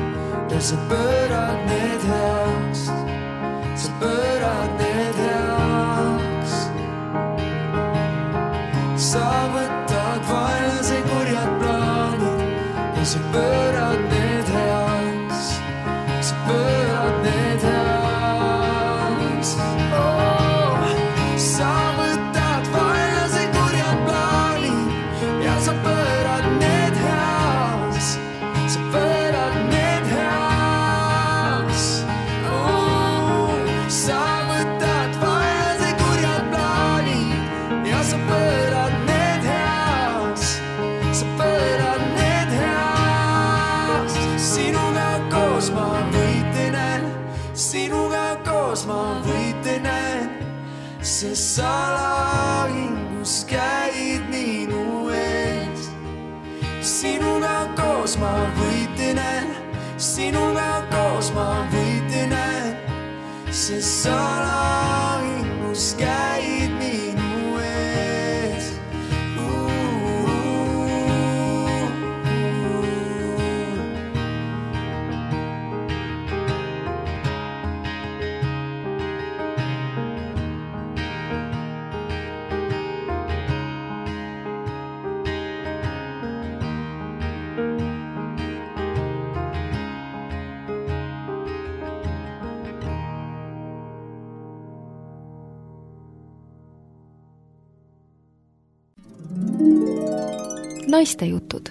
ja sa pöörad need heaks, sa pöörad need heaks. Sa võtad vaenlase kurjad plaanid ja sa pöörad need heaks, sa pöörad need heaks. Oh, sa võtad vaenlase kurjad plaanid ja sa pöörad need heaks, sa pöörad need heaks. Oh, sa võtad vaenlase kurjad plaanid ja sa pöörad need heaks, sa pöörad need heaks. Sinuga koos ma võitenen, sinuga koos ma võitenen, sest sa lahingus käid minu ees. Sinuga koos ma võitenen, sinuga koos ma võitenen, sest sa lahingus käid minu ees. Naistejutud.